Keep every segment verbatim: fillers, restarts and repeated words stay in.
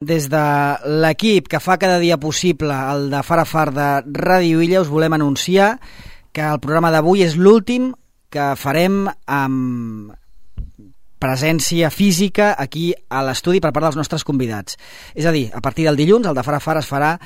Des de l'equip que fa cada dia possible el de Far a Far de Ràdio Illa us volem anunciar que el programa d'avui és l'últim que farem amb presència física aquí a l'estudi per part dels nostres convidats. És a dir, a partir del dilluns el de Far a Far es farà,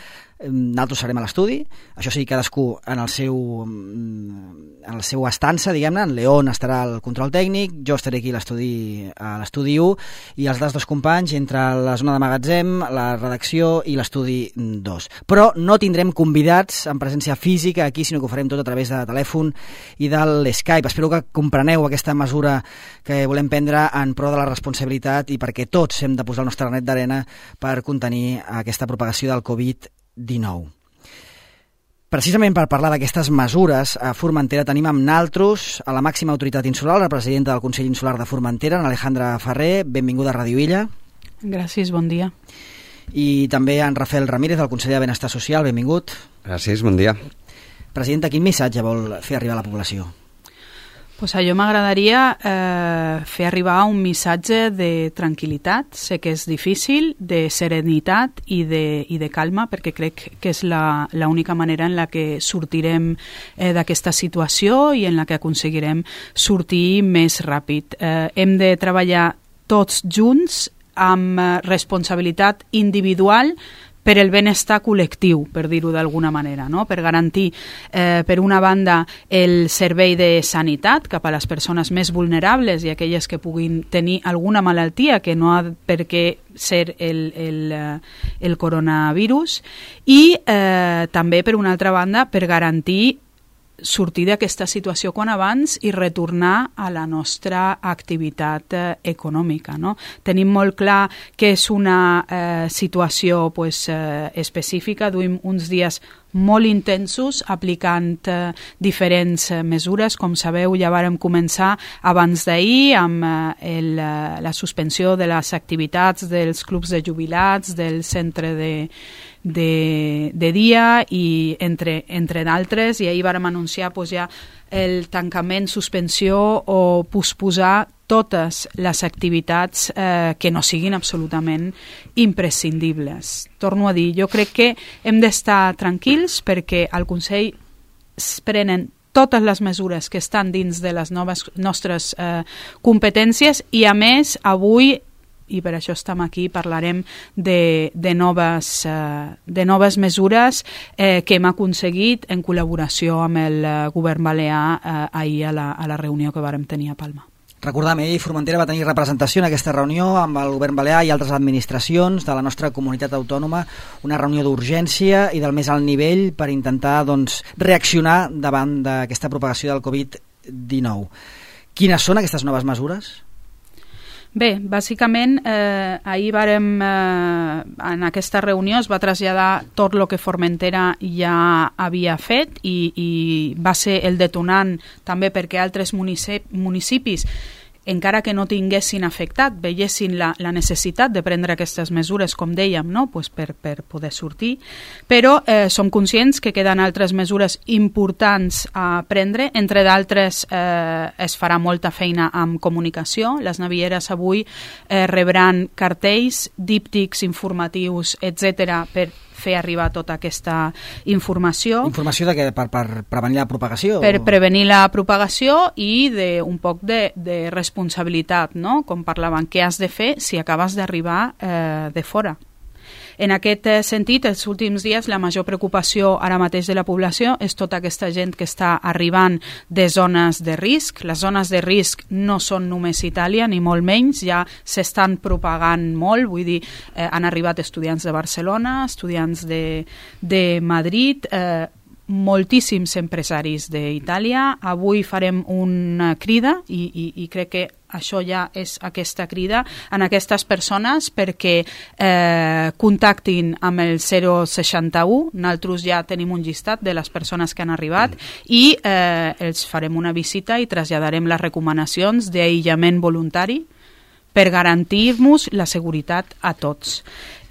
nosaltres serem a l'estudi, això sí, cadascú en el seu en el seu estança, diguem-ne. En León estarà al control tècnic, jo estaré aquí a l'estudi a l'estudi u i els altres dos companys entre la zona de magatzem, la redacció i l'estudi dos. Però no tindrem convidats en presència física aquí, sinó que ho farem tot a través de telèfon i de l'Skype. Espero que compreneu aquesta mesura que volem prendre en pro de la responsabilitat i perquè tots hem de posar el nostre granet d'arena per contenir aquesta propagació del covid dinou. Precisament per parlar d'aquestes mesures, a Formentera tenim amb naltros a la màxima autoritat insular, la presidenta del Consell Insular de Formentera, Alejandra Ferrer. Benvinguda a Ràdio Illa. Gràcies, bon dia. I també en Rafael Ramírez, del Consell de Benestar Social. Benvingut. Gràcies, bon dia. Presidenta, quin missatge vol fer arribar a la població? Pues a jo m'agradaria eh, fer arribar un missatge de tranquil·litat. Sé que és difícil, de serenitat i de, i de calma, perquè crec que és la, la única manera en la que sortirem eh, d'aquesta situació i en la que aconseguirem sortir més ràpid. Eh, hem de treballar tots junts amb responsabilitat individual per el benestar col·lectiu, per dir-ho d'alguna manera, no? Per garantir, eh, per una banda, el servei de sanitat cap a les persones més vulnerables i aquelles que puguin tenir alguna malaltia que no ha per què ser el, el, el coronavirus, i eh, també, per una altra banda, per garantir sortir d'aquesta situació quan abans i retornar a la nostra activitat eh, econòmica, no? Tenim molt clar que és una eh, situació pues, eh, específica. Duim uns dies molt intensos aplicant eh, diferents eh, mesures. Com sabeu, ja vàrem començar abans d'ahir amb eh, el, eh, la suspensió de les activitats dels clubs de jubilats, del centre de De, de dia i entre, entre d'altres, i ahir vàrem anunciar pues, ja el tancament, suspensió o posposar totes les activitats eh, que no siguin absolutament imprescindibles. Torno a dir, jo crec que hem d'estar tranquils perquè al Consell es prenen totes les mesures que estan dins de les noves nostres eh, competències i, a més, avui, i per això estem aquí, parlarem de, de, noves, eh, de noves mesures eh, que hem aconseguit en col·laboració amb el eh, govern balear eh, ahir a la, a la reunió que vàrem tenir a Palma. Recordem, ahir Formentera va tenir representació en aquesta reunió amb el govern balear i altres administracions de la nostra comunitat autònoma, una reunió d'urgència i del més alt nivell per intentar doncs, reaccionar davant d'aquesta propagació del covid dinou. Quines són aquestes noves mesures? Bé, bàsicament, eh, ahir vàrem, eh, en aquesta reunió es va traslladar tot el que Formentera ja havia fet i, i va ser el detonant també perquè altres municip, municipis, encara que no tinguessin afectat, veiessin la, la necessitat de prendre aquestes mesures, com dèiem, no? Pues per, per poder sortir. Però eh, som conscients que queden altres mesures importants a prendre. Entre d'altres, eh, es farà molta feina amb comunicació. Les navieres avui eh, rebran cartells, díptics, informatius, etcètera, per fer arribar tota aquesta informació. Informació de què? Per, per prevenir la propagació? Per prevenir la propagació i de, un poc de, de responsabilitat, no? Com parlaven, què has de fer si acabes d'arribar eh, de fora. En aquest sentit, els últims dies, la major preocupació ara mateix de la població és tota aquesta gent que està arribant de zones de risc. Les zones de risc no són només Itàlia, ni molt menys, ja s'estan propagant molt, vull dir, eh, han arribat estudiants de Barcelona, estudiants de, de Madrid, eh, moltíssims empresaris d'Itàlia. Avui farem una crida i, i, i crec que això ja és aquesta crida en aquestes persones perquè eh, contactin amb el zero seixanta u. Nosaltres ja tenim un llistat de les persones que han arribat i eh, els farem una visita i traslladarem les recomanacions d'aïllament voluntari per garantir-nos la seguretat a tots.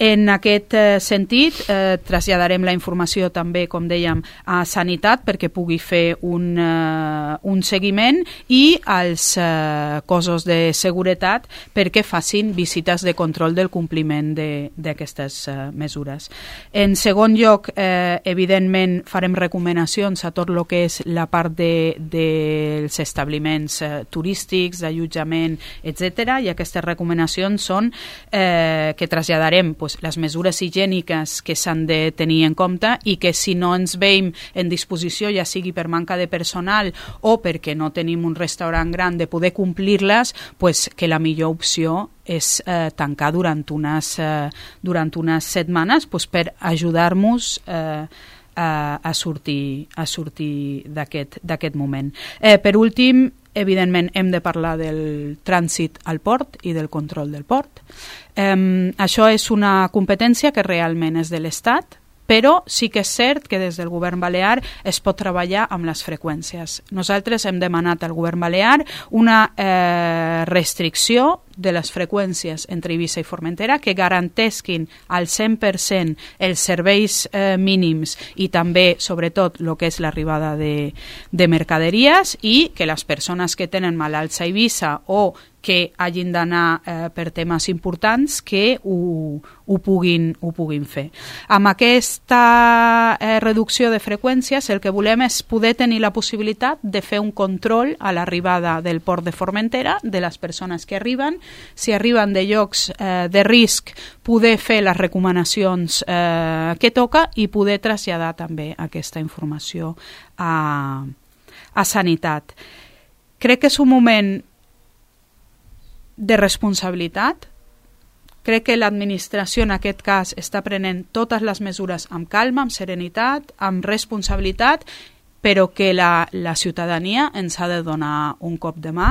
En aquest eh, sentit, eh, traslladarem la informació també, com dèiem, a Sanitat perquè pugui fer un, eh, un seguiment i als eh, cossos de seguretat perquè facin visites de control del compliment d'aquestes eh, mesures. En segon lloc, eh, evidentment, farem recomanacions a tot el que és la part de, dels establiments eh, turístics, d'allotjament, etcètera, i aquestes recomanacions són eh, que traslladarem pues, les mesures higièniques que s'han de tenir en compte i que si no ens veiem en disposició, ja sigui per manca de personal o perquè no tenim un restaurant gran de poder complir-les, pues, que la millor opció és eh, tancar durant unes, eh, durant unes setmanes pues, per ajudar-nos eh, a, a sortir, a sortir d'aquest moment. Eh, per últim, evidentment hem de parlar del trànsit al port i del control del port. Um, això és una competència que realment és de l'Estat, però sí que és cert que des del govern balear es pot treballar amb les freqüències. Nosaltres hem demanat al govern balear una eh, restricció de les freqüències entre Eivissa i Formentera que garantesquin al cent per cent els serveis eh, mínims i també, sobretot, el que és l'arribada de, de mercaderies i que les persones que tenen malalts a Eivissa o que hagin d'anar eh, per temes importants que ho, ho, puguin, ho puguin fer. Amb aquesta eh, reducció de freqüències el que volem és poder tenir la possibilitat de fer un control a l'arribada del port de Formentera de les persones que arriben. Si arriben de llocs eh, de risc, poder fer les recomanacions eh, que toca i poder traslladar també aquesta informació a, a Sanitat. Crec que és un moment de responsabilitat. Crec que l'administració en aquest cas està prenent totes les mesures amb calma, amb serenitat, amb responsabilitat, però que la, la ciutadania ens ha de donar un cop de mà.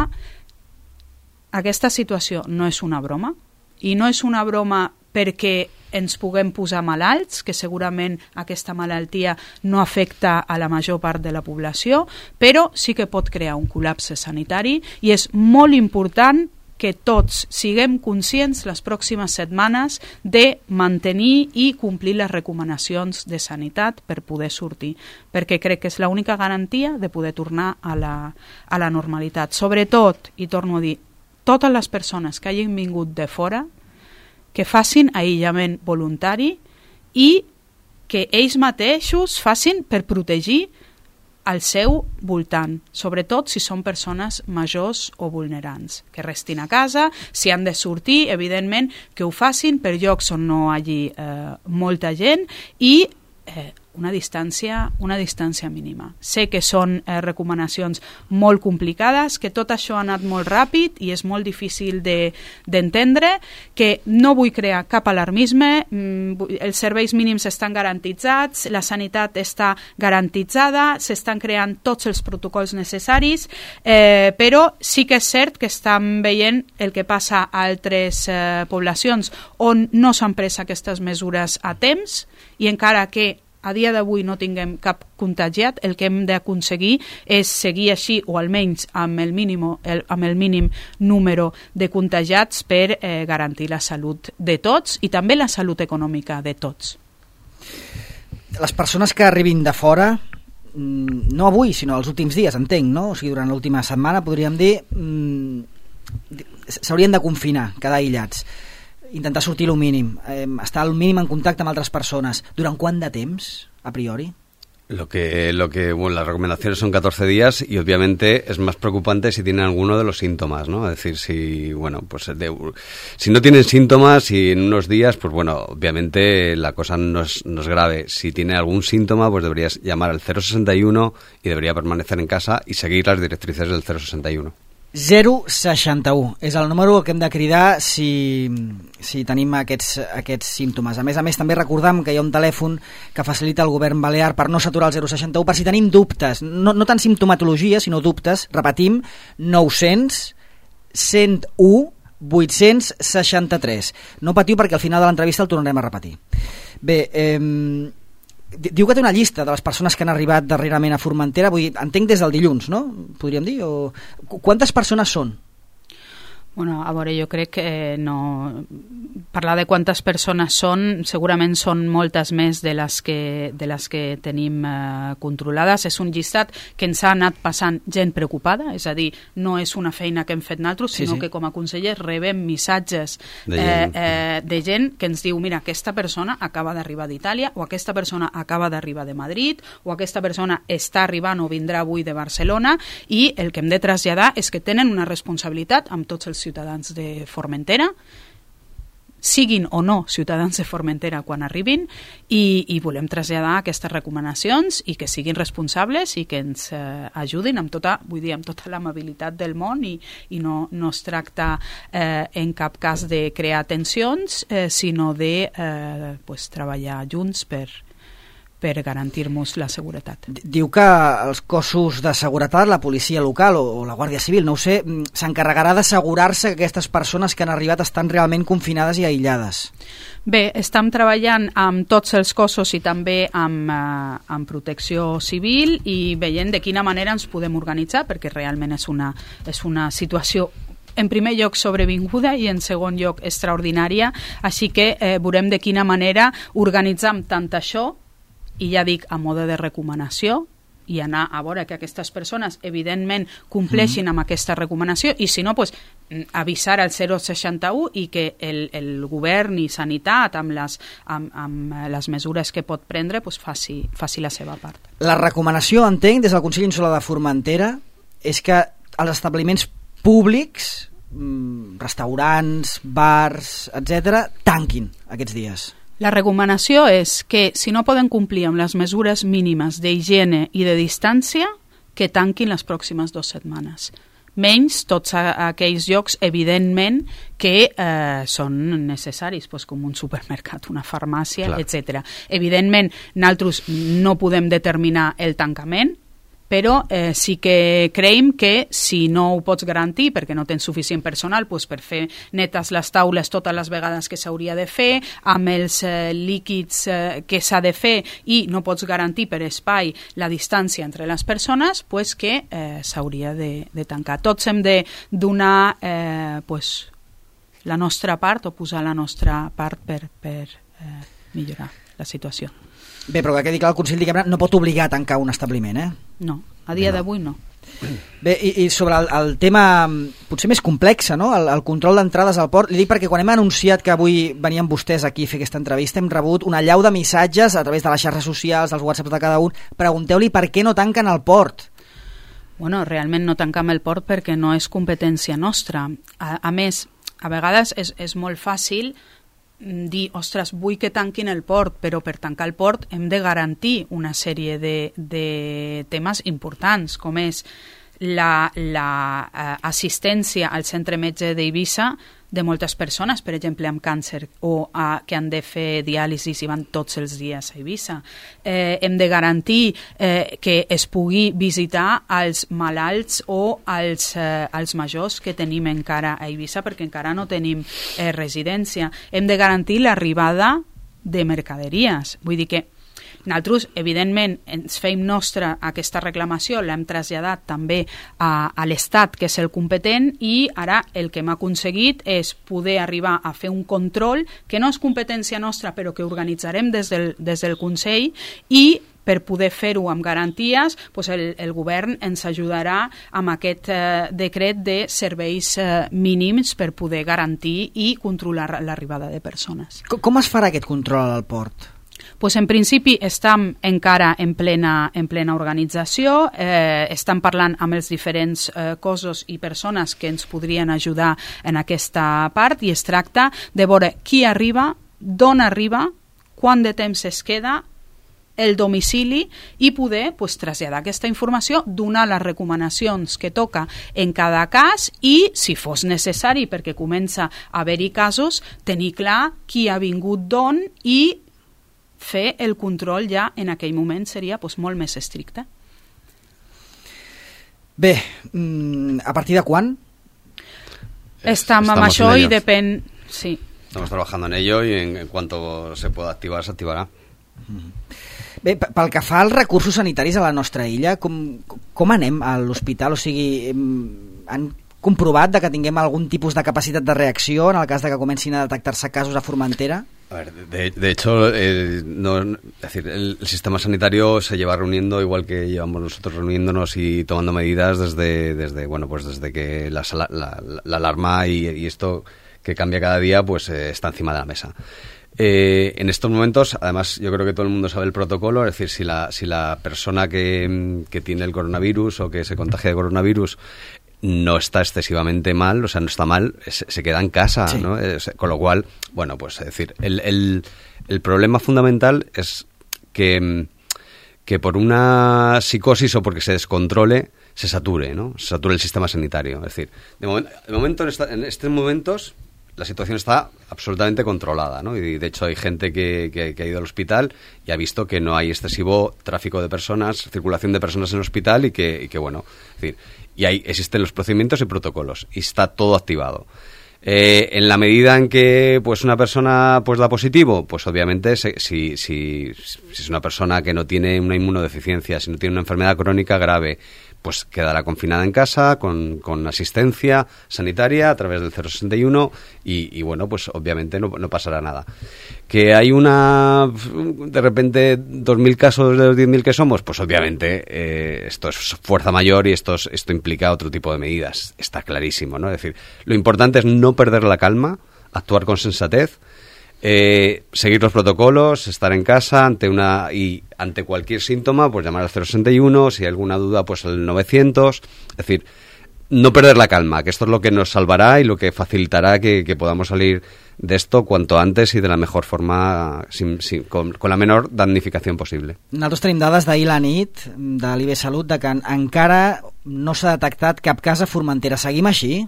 Aquesta situació no és una broma, i no és una broma perquè ens puguem posar malalts, que segurament aquesta malaltia no afecta a la major part de la població, però sí que pot crear un col·lapse sanitari i és molt important que tots siguem conscients les pròximes setmanes de mantenir i complir les recomanacions de sanitat per poder sortir, perquè crec que és l'única garantia de poder tornar a la, a la normalitat. Sobretot, i torno a dir, totes les persones que hagin vingut de fora, que facin aïllament voluntari i que ells mateixos facin per protegir al seu voltant, sobretot si són persones majors o vulnerants, que restin a casa, si han de sortir, evidentment que ho facin per llocs on no hi hagi eh, molta gent i eh, una distància, una distància mínima. Sé que són eh, recomanacions molt complicades, que tot això ha anat molt ràpid i és molt difícil d'entendre, de, que no vull crear cap alarmisme, mm, els serveis mínims estan garantitzats, la sanitat està garantitzada, s'estan creant tots els protocols necessaris, eh, però sí que és cert que estan veient el que passa a altres eh, poblacions on no s'han pres aquestes mesures a temps i encara que a dia d'avui no tinguem cap contagiat, el que hem d'aconseguir és seguir així, o almenys amb el mínim, el, amb el mínim número de contagiats per eh, garantir la salut de tots i també la salut econòmica de tots. Les persones que arribin de fora, no avui, sinó els últims dies, entenc, no? O sigui, durant l'última setmana, podríem dir, s'haurien de confinar, quedar aïllats. Intentar sortir el mínim, eh, estar al mínim en contacte amb altres persones. ¿Durant quant de temps, a priori? Lo que, lo que, bueno, las recomendaciones son catorce días y obviamente es más preocupante si tienen alguno de los síntomas, ¿no? Es decir, si, bueno, pues de, si no tienen síntomas y en unos días, pues bueno, obviamente la cosa no es, no es grave. Si tiene algún síntoma, pues deberías llamar al cero sesenta y uno y debería permanecer en casa y seguir las directrices del cero sesenta y uno. zero seixanta u és el número que hem de cridar si, si tenim aquests, aquests símptomes. A més a més, també recordam que hi ha un telèfon que facilita el govern balear per no saturar el zero seixanta u, per si tenim dubtes, no, no tant simptomatologia, sinó dubtes. Repetim, nou-cents cent u vuit-cents seixanta-tres. No patiu perquè al final de l'entrevista el tornarem a repetir. Bé, eh, diu que té una llista de les persones que han arribat darrerament a Formentera, vull dir, entenc des del dilluns, no? Podríem dir? O... Quantes persones són? Bueno, a veure, jo crec que no... Parlar de quantes persones són, segurament són moltes més de les que, de les que tenim eh, controlades. És un llistat que ens ha anat passant gent preocupada, és a dir, no és una feina que hem fet nosaltres, sí, sinó sí. que com a consellers rebem missatges de eh, gent. eh, de gent que ens diu, mira, aquesta persona acaba d'arribar d'Itàlia, o aquesta persona acaba d'arribar de Madrid, o aquesta persona està arribant o vindrà avui de Barcelona, i el que hem de traslladar és que tenen una responsabilitat amb tots els ciutadans de Formentera, siguin o no ciutadans de Formentera quan arribin, i, i volem traslladar aquestes recomanacions i que siguin responsables i que ens eh, ajudin amb tota, vull dir, amb tota l'amabilitat del món, i, i no, no es tracta eh, en cap cas de crear tensions, eh, sinó de eh, pues, treballar junts per per garantir-nos la seguretat. Diu que els cossos de seguretat, la policia local o, o la Guàrdia Civil, no ho sé, s'encarregarà d'assegurar-se que aquestes persones que han arribat estan realment confinades i aïllades. Bé, estem treballant amb tots els cossos i també amb, eh, amb protecció civil i veient de quina manera ens podem organitzar, perquè realment és una, és una situació en primer lloc sobrevinguda i en segon lloc extraordinària, així que eh, veurem de quina manera organitzam tant això, i ja dic, a mode de recomanació, i anar a veure que aquestes persones evidentment compleixin amb aquesta recomanació, i si no, pues, avisar al zero seixanta u i que el, el govern i sanitat amb les, amb, amb les mesures que pot prendre pues, faci, faci la seva part. La recomanació, entenc, des del Consell Insular de Formentera és que els establiments públics, restaurants, bars, etcètera, tanquin aquests dies. La recomanació és que, si no poden complir amb les mesures mínimes d'higiene i de distància, que tanquin les pròximes dues setmanes. Menys tots aquells llocs, evidentment, que eh, són necessaris, doncs, com un supermercat, una farmàcia, etcètera. Evidentment, nosaltres no podem determinar el tancament, però eh, sí que creiem que si no ho pots garantir perquè no tens suficient personal doncs per fer netes les taules totes les vegades que s'hauria de fer, amb els eh, líquids eh, que s'ha de fer, i no pots garantir per espai la distància entre les persones, doncs que eh, s'hauria de, de tancar. Tots hem de donar eh, pues, la nostra part o posar la nostra part per, per eh, millorar la situació. Bé, però que quedi clar, el Consell diguem-ne no pot obligar a tancar un establiment, eh? No, a dia no. d'avui no. Bé, i, i sobre el, el tema potser més complex, no? El, el control d'entrades al port, li dic perquè quan hem anunciat que avui venien vostès aquí a fer aquesta entrevista hem rebut una allau de missatges a través de les xarxes socials, dels whatsapps de cada un. Pregunteu-li per què no tanquen el port. Bueno, realment no tancam el port perquè no és competència nostra. A, a més, a vegades és, és molt fàcil dir, ostres, vull que tanquin el port, però per tancar el port hem de garantir una sèrie de, de temes importants, com és la, la uh, assistència al centre metge d'Eivissa de moltes persones, per exemple, amb càncer o uh, que han de fer diàlisis i van tots els dies a Eivissa. Eh, hem de garantir eh, que es pugui visitar als malalts o als, eh, als majors que tenim encara a Eivissa, perquè encara no tenim eh, residència. Hem de garantir l'arribada de mercaderies. Vull dir que nosaltres, evidentment, ens feim nostra aquesta reclamació, l'hem traslladat també a, a l'Estat, que és el competent, i ara el que hem aconseguit és poder arribar a fer un control que no és competència nostra, però que organitzarem des del, des del Consell, i per poder fer-ho amb garanties, doncs el, el govern ens ajudarà amb aquest eh, decret de serveis eh, mínims per poder garantir i controlar l'arribada de persones. Com, com es farà aquest control al port? Pues en principi estem encara en plena, en plena organització, eh, estem parlant amb els diferents eh, cossos i persones que ens podrien ajudar en aquesta part, i es tracta de veure qui arriba, d'on arriba, quant de temps es queda, el domicili, i poder pues, traslladar aquesta informació, donar les recomanacions que toca en cada cas, i si fos necessari, perquè comença a haver-hi casos, tenir clar qui ha vingut d'on, i fer el control ja en aquell moment seria doncs, molt més estricte. Bé, ¿a partir de quan? Estamos, Estamos amb això i depèn... Sí. Estamos trabajando en ello y en, en cuanto se pueda activar, se activará. Bé, pel que fa als recursos sanitaris a la nostra illa, com, com anem a l'hospital? O sigui, han comprovat de que tinguem algun tipus de capacitat de reacció en el cas de que comencin a detectar-se casos a Formentera? A ver, de, de hecho, eh, no, es decir, el, el sistema sanitario se lleva reuniendo igual que llevamos nosotros reuniéndonos y tomando medidas desde, desde bueno, pues desde que la, la, la, la alarma y, y esto que cambia cada día, pues eh, está encima de la mesa. Eh, en estos momentos, además, yo creo que todo el mundo sabe el protocolo, es decir, si la, si la persona que, que tiene el coronavirus o que se contagia de coronavirus no está excesivamente mal, o sea, no está mal, se, se queda en casa, sí. ¿no? Es, con lo cual, bueno, pues es decir, el, el, el problema fundamental es que, que por una psicosis o porque se descontrole, se sature, ¿no? Se sature el sistema sanitario. Es decir, de, moment, de momento, en, esta, en estos momentos, la situación está absolutamente controlada, ¿no? Y de hecho hay gente que, que, que ha ido al hospital y ha visto que no hay excesivo tráfico de personas, circulación de personas en el hospital y que, y que bueno, es decir, y ahí existen los procedimientos y protocolos y está todo activado. Eh, en la medida en que pues una persona pues da positivo, pues obviamente se, si, si, si es una persona que no tiene una inmunodeficiencia, si no tiene una enfermedad crónica grave, pues quedará confinada en casa con, con asistencia sanitaria a través del cero sesenta y uno y, y bueno, pues obviamente no, no pasará nada. Que hay una, de repente, dos mil casos de los diez mil que somos, pues obviamente eh, esto es fuerza mayor y esto, es, esto implica otro tipo de medidas, está clarísimo, ¿no? Es decir, lo importante es no perder la calma, actuar con sensatez, Eh, seguir los protocolos, estar en casa ante una y ante cualquier síntoma, pues llamar al cero sesenta y uno, si hay alguna duda, pues al novecientos, es decir, no perder la calma, que esto es lo que nos salvará y lo que facilitará que, que podamos salir de esto cuanto antes y de la mejor forma, sin, sin, con, con la menor damnificación posible. Nosaltres tenim dades d'ahir la nit de l'I B Salut de que encara no s'ha detectat cap cas a Formentera. Seguim així?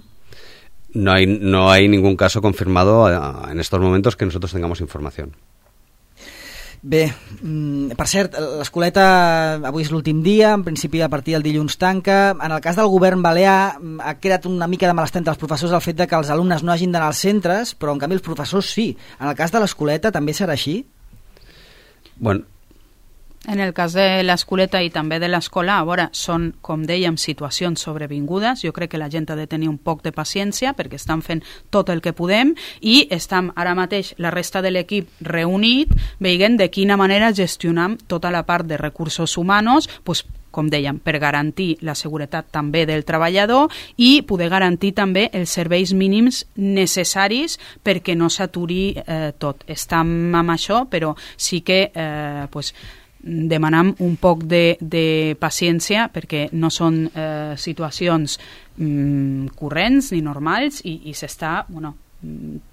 No hay, no hay ningún caso confirmado uh, en estos momentos que nosotros tengamos información. Bé, per cert, l'escoleta avui és l'últim dia, en principi a partir del dilluns tanca. En el cas del govern balear ha creat una mica de malestar entre els professors el fet de que els alumnes no hagin d'anar als centres, però en canvi els professors sí. En el cas de l'escoleta també serà així? Bueno, en el cas de l'escoleta i també de l'escola, a veure, són, com dèiem, situacions sobrevingudes. Jo crec que la gent ha de tenir un poc de paciència perquè estan fent tot el que podem i estem ara mateix la resta de l'equip reunit veient de quina manera gestionam tota la part de recursos humans, doncs, com dèiem, per garantir la seguretat també del treballador i poder garantir també els serveis mínims necessaris perquè no s'aturi eh, tot. Estem amb això, però sí que eh, pues, demanam un poc de, de paciència perquè no són eh, situacions mm, corrents ni normals i, i s'està bueno,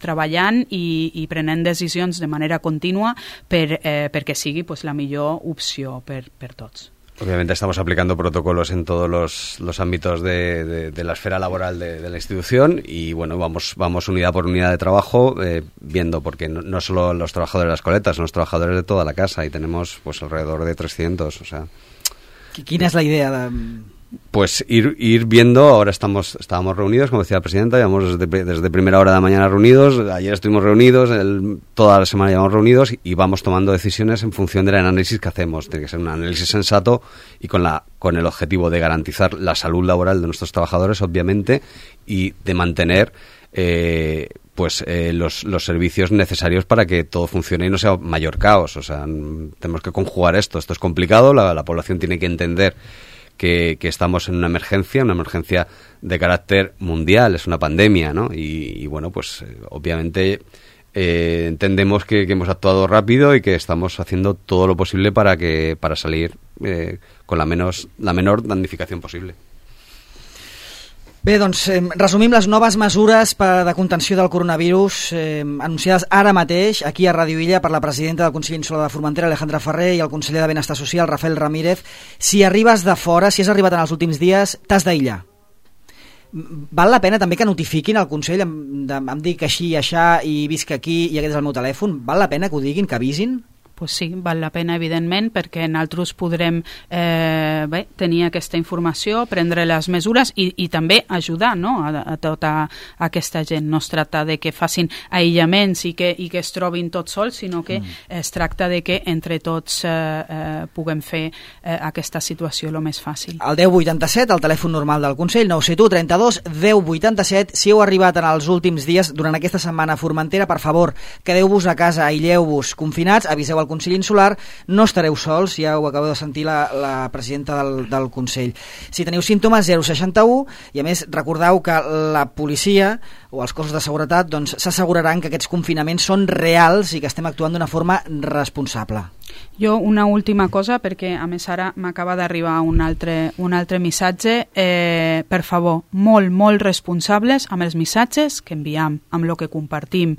treballant i, i prenent decisions de manera contínua per, eh, perquè sigui pues, la millor opció per, per tots. Obviamente estamos aplicando protocolos en todos los, los ámbitos de, de, de la esfera laboral de, de la institución y bueno, vamos, vamos unidad por unidad de trabajo eh, viendo, porque no, no solo los trabajadores de las coletas, son los trabajadores de toda la casa y tenemos pues alrededor de trescientos, o sea... ¿Quina es la idea de...? Pues ir, ir viendo, ahora estamos estábamos reunidos, como decía la presidenta, llevamos desde, desde primera hora de la mañana reunidos, ayer estuvimos reunidos, el, toda la semana llevamos reunidos y, y vamos tomando decisiones en función del análisis que hacemos. Tiene que ser un análisis sensato y con, la, con el objetivo de garantizar la salud laboral de nuestros trabajadores, obviamente, y de mantener eh, pues eh, los, los servicios necesarios para que todo funcione y no sea mayor caos. O sea, tenemos que conjugar esto. Esto es complicado, la, la población tiene que entender Que, que estamos en una emergencia, una emergencia de carácter mundial, es una pandemia, ¿no? Y, y bueno, pues eh, obviamente eh, entendemos que, que hemos actuado rápido y que estamos haciendo todo lo posible para que para salir eh, con la, menos, la menor damnificación posible. Bé, doncs, eh, resumim les noves mesures per, de contenció del coronavirus eh, anunciades ara mateix aquí a Ràdio Illa per la presidenta del Consell Insular de Formentera, Alejandra Ferrer, i el conseller de Benestar Social, Rafael Ramírez. Si arribes de fora, si has arribat en els últims dies, t'has d'aïllar. Val la pena també que notifiquin al Consell, em, de, em dic així i aixà i visc aquí i aquest és el meu telèfon? Val la pena que ho diguin, que avisin? pues sí, val la pena, evidentment, perquè nosaltres podrem eh, bé, tenir aquesta informació, prendre les mesures i, i també ajudar, no?, a, a tota aquesta gent. No es tracta de que facin aïllaments i que, i que es trobin tots sols, sinó que mm. es tracta de que entre tots eh, eh, puguem fer eh, aquesta situació el més fàcil. El deu vuitanta-set, el telèfon normal del Consell, nou set u trenta-dos deu vuitanta-set. Si heu arribat en els últims dies, durant aquesta setmana a Formentera, per favor, quedeu-vos a casa, aïlleu-vos confinats, aviseu al Consell Insular, no estareu sols, ja ho acabeu de sentir la, la presidenta del, del Consell. Si teniu símptomes, zero seixanta-u, i a més recordeu que la policia o els cossos de seguretat doncs, s'asseguraran que aquests confinaments són reals i que estem actuant d'una forma responsable. Jo una última cosa, perquè a més ara m'acaba d'arribar un altre, un altre missatge. Eh, per favor, molt, molt responsables amb els missatges que enviem, amb el que compartim.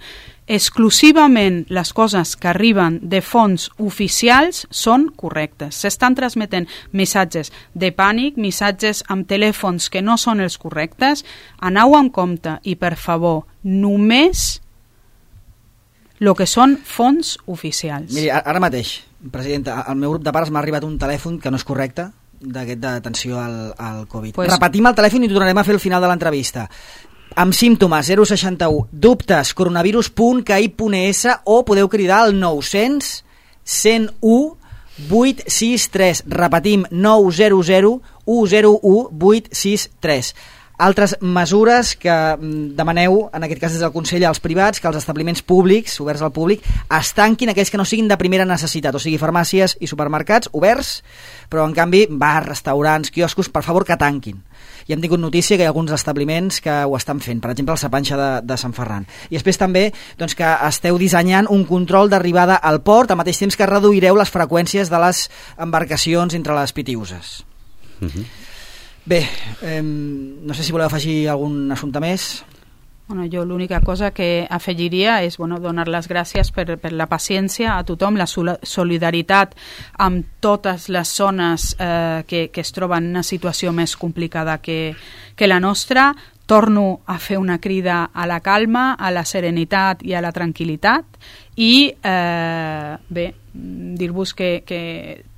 Exclusivament les coses que arriben de fonts oficials són correctes. S'estan transmetent missatges de pànic, missatges amb telèfons que no són els correctes. Aneu amb compte i, per favor, només el que són fonts oficials. Miri, ara mateix, presidenta, al meu grup de pares m'ha arribat un telèfon que no és correcte, d'aquest d'atenció al, al Covid. Pues... Repetim el telèfon i tornarem a fer el final de l'entrevista. Amb símptomes, zero seixanta-u, dubtes, coronavirus punt c a i punt e essa o podeu cridar al nou cents, cent u, vuit sis tres. Repetim, nou zero zero, u zero u, vuit sis tres. Altres mesures que demaneu, en aquest cas des del Consell, als privats, que els establiments públics, oberts al públic, es tanquin aquells que no siguin de primera necessitat, o sigui, farmàcies i supermercats oberts, però en canvi bars, restaurants, quioscos, per favor que tanquin. I hem tingut notícia que hi ha alguns establiments que ho estan fent, per exemple el Sapanxa de, de Sant Ferran. I després també doncs, que esteu dissenyant un control d'arribada al port, al mateix temps que reduireu les freqüències de les embarcacions entre les Pitiüses. Mhm. Bé, eh, no sé si voleu afegir algun assumpte més. Bueno, jo l'única cosa que afegiria és bueno, donar les gràcies per, per la paciència a tothom, la solidaritat amb totes les zones eh, que, que es troben en una situació més complicada que, que la nostra. Torno a fer una crida a la calma, a la serenitat i a la tranquil·litat i eh, bé, dir-vos que, que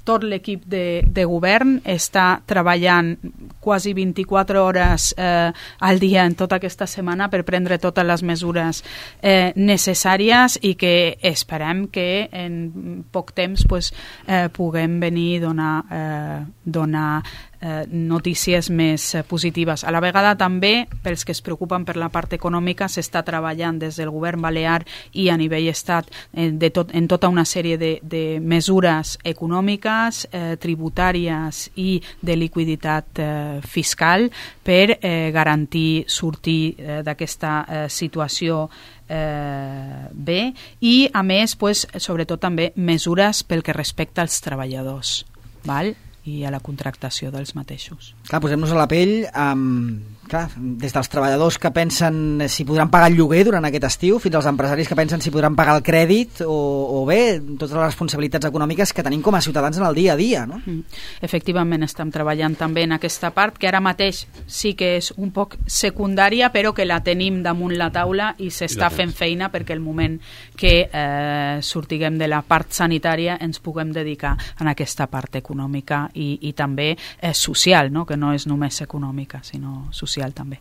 tot l'equip de, de govern està treballant quasi vint-i-quatre hores eh, al dia en tota aquesta setmana per prendre totes les mesures eh, necessàries i que esperem que en poc temps pues, eh, puguem venir a donar, eh, donar eh, notícies més eh, positives. A la vegada també, pels que es preocupen per la part econòmica, s'està treballant des del govern balear i a nivell estat eh, de tot, en tota una sèrie de, de mesures econòmiques, eh, tributàries i de liquiditat eh, fiscal per eh, garantir sortir eh, d'aquesta eh, situació eh, bé i a més pues, sobretot també mesures pel que respecta als treballadors, val? I a la contractació dels mateixos. Clar, posem-nos a la pell amb, clar, des dels treballadors que pensen si podran pagar el lloguer durant aquest estiu fins als empresaris que pensen si podran pagar el crèdit o, o bé, totes les responsabilitats econòmiques que tenim com a ciutadans en el dia a dia, no? Mm. Efectivament, estem treballant també en aquesta part que ara mateix sí que és un poc secundària però que la tenim damunt la taula i s'està fent feina perquè el moment que eh, sortiguem de la part sanitària ens puguem dedicar a aquesta part econòmica I, i també és social, no? Que no és només econòmica, sinó social també.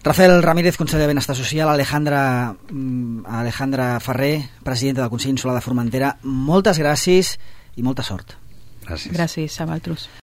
Rafael Ramírez, conseller de Benestar Social, Alejandra, Alejandra Ferrer, presidenta del Consell Insular de Formentera, moltes gràcies i molta sort. Gràcies. Gràcies a vosaltres.